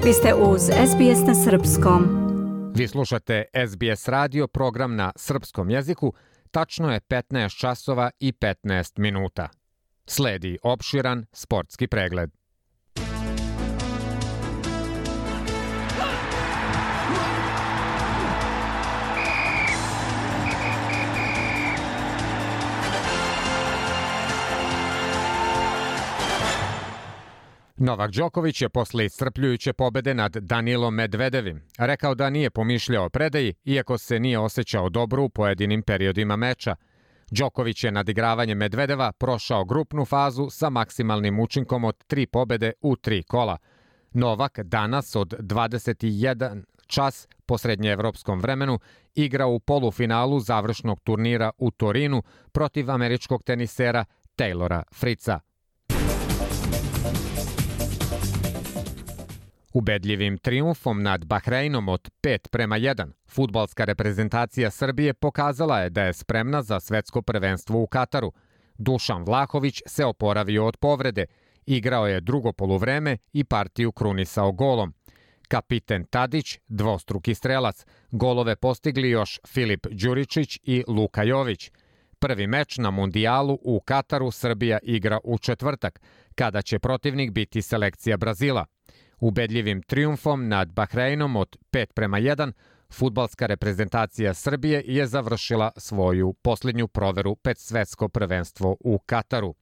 Vi ste uz SBS na srpskom. Vi slušate SBS radio, program na srpskom jeziku. Tačno je 15 časova i 15 minuta. Sledi opširan sportski pregled. Novak Đoković je posle iscrpljujuće pobede nad Danilom Medvedevim rekao da nije pomišljao o predaji, iako se nije osjećao dobro u pojedinim periodima meča. Đoković je nadigravanje Medvedeva prošao grupnu fazu sa maksimalnim učinkom od 3 pobede u 3 kola. Novak danas od 21 čas po srednjeevropskom vremenu igra u polufinalu završnog turnira u Torinu protiv američkog tenisera Taylora Fritza. Ubedljivim trijumfom nad Bahreinom od 5:1, fudbalska reprezentacija Srbije pokazala je da je spremna za svetsko prvenstvo u Kataru. Dušan Vlahović se oporavio od povrede, igrao je drugo poluvreme i partiju krunisao golom. Kapiten Tadić, dvostruki strelac, golove postigli još Filip Đuričić i Luka Jović. Prvi meč na mundijalu u Kataru Srbija igra u četvrtak, kada će protivnik biti selekcija Brazila. Ubedljivim trijumfom nad Bahreinom od 5:1, fudbalska reprezentacija Srbije je završila svoju posljednju proveru pred svetsko prvenstvo u Kataru.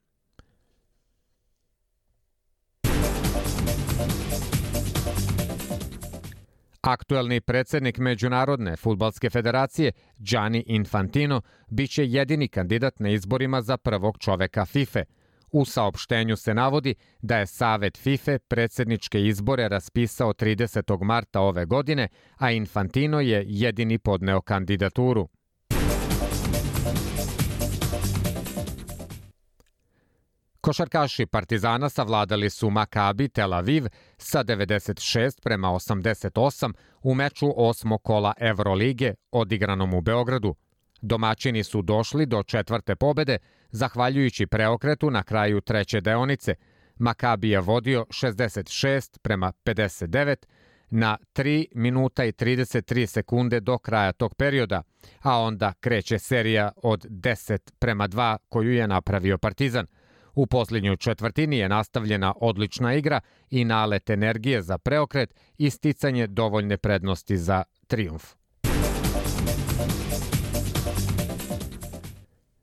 Aktuelni predsjednik Međunarodne fudbalske federacije Gianni Infantino biće jedini kandidat na izborima za prvog čoveka FIFA. U saopštenju se navodi da je Savet FIFA predsjedničke izbore raspisao 30. marta ove godine, a Infantino je jedini podneo kandidaturu. Košarkaši Partizana savladali su Maccabi Tel Aviv sa 96:88 u meču 8. kola Evrolige odigranom u Beogradu. Domaćini su došli do četvrte pobede, zahvaljujući preokretu na kraju treće deonice. Maccabi je vodio 66:59 na 3 minuta i 33 sekunde do kraja tog perioda, a onda kreće serija od 10:2 koju je napravio Partizan. U posljednjoj četvrtini je nastavljena odlična igra i nalet energije za preokret i sticanje dovoljne prednosti za trijumf.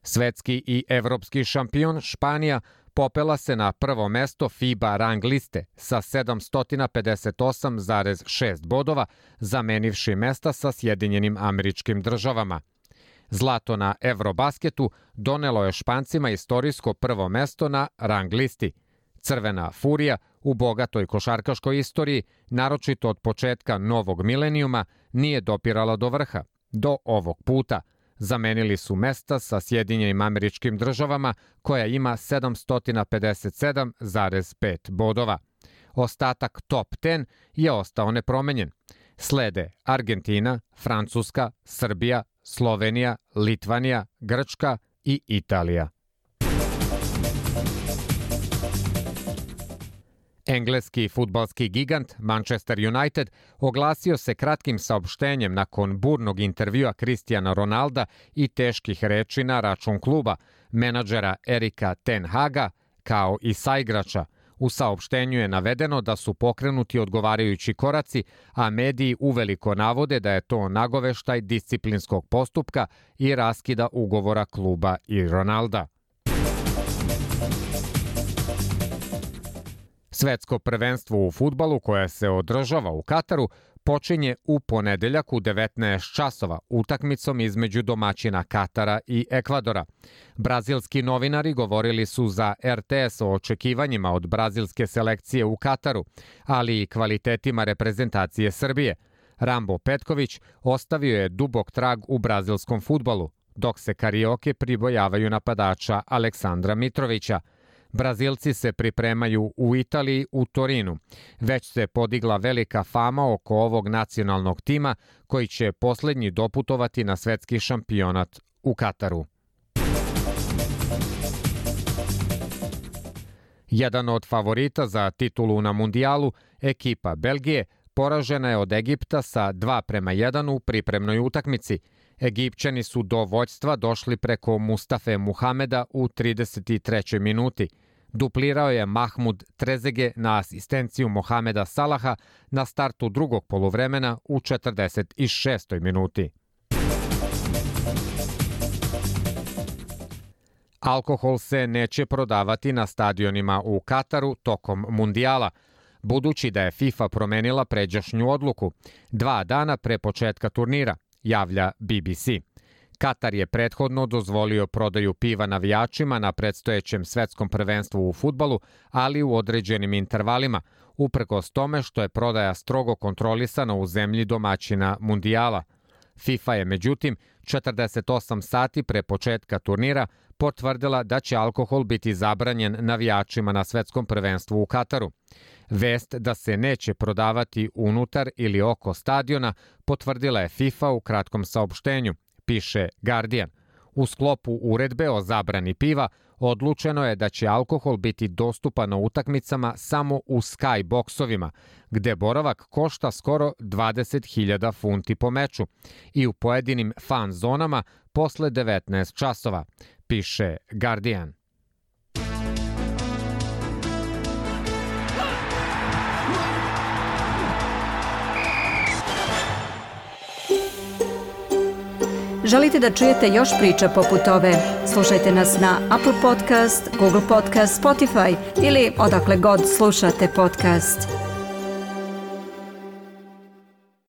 Svetski i evropski šampion Španija popela se na prvo mesto FIBA rang liste sa 758,6 bodova, zamenivši mesta sa Sjedinjenim Američkim Državama. Zlato na Eurobasketu donelo je Špancima istorijsko prvo mesto na rang listi. Crvena furija u bogatoj košarkaškoj istoriji, naročito od početka novog milenijuma, nije dopirala do vrha. Do ovog puta zamenili su mesta sa Sjedinjenim Američkim Državama, koja ima 757,5 bodova. Ostatak top 10 je ostao nepromenjen. Slede Argentina, Francuska, Srbija, Slovenija, Litvanija, Grčka i Italija. Engleski fudbalski gigant Manchester United oglasio se kratkim saopštenjem nakon burnog intervjua Cristiana Ronalda i teških reči na račun kluba, menadžera Erika Ten Haga, kao i saigrača. U saopštenju je navedeno da su pokrenuti odgovarajući koraci, a mediji uveliko navode da je to nagoveštaj disciplinskog postupka i raskida ugovora kluba i Ronalda. Svetsko prvenstvo u fudbalu koje se održava u Kataru počinje u ponedeljak u 19 časova utakmicom između domaćina Katara i Ekvadora. Brazilski novinari govorili su za RTS o očekivanjima od brazilske selekcije u Kataru, ali i kvalitetima reprezentacije Srbije. Rambo Petković ostavio je dubok trag u brazilskom fudbalu, dok se Karioke pribojavaju napadača Aleksandra Mitrovića. Brazilci se pripremaju u Italiji u Torinu. Već se podigla velika fama oko ovog nacionalnog tima koji će posljednji doputovati na svetski šampionat u Kataru. Jedan od favorita za titulu na mundijalu Ekipa Belgije poražena je od Egipta sa 2:1 u pripremnoj utakmici. Egipćani su do vođstva došli preko Mustafe Muhameda u 33. minuti. Duplirao je Mahmud Trezege na asistenciju Mohameda Salaha na startu drugog poluvremena u 46. minuti. Alkohol se neće prodavati na stadionima u Kataru tokom mundijala, budući da je FIFA promenila pređašnju odluku 2 dana pre početka turnira, javlja BBC. Katar je prethodno dozvolio prodaju piva navijačima na predstojećem svetskom prvenstvu u fudbalu, ali u određenim intervalima, uprkos tome što je prodaja strogo kontrolisana u zemlji domaćina mundijala. FIFA je, međutim, 48 sati pre početka turnira potvrdila da će alkohol biti zabranjen navijačima na svetskom prvenstvu u Kataru. Vest da se neće prodavati unutar ili oko stadiona potvrdila je FIFA u kratkom saopštenju, piše Guardian. U sklopu uredbe o zabrani piva odlučeno je da će alkohol biti dostupan na utakmicama samo u sky boksovima, gde boravak košta skoro 20.000 funti po meču, i u pojedinim fan zonama posle 19 časova, piše Guardian. Želite da čujete još priča poput ove? Slušajte nas na Apple Podcast, Google Podcast, Spotify ili odakle god slušate podcast.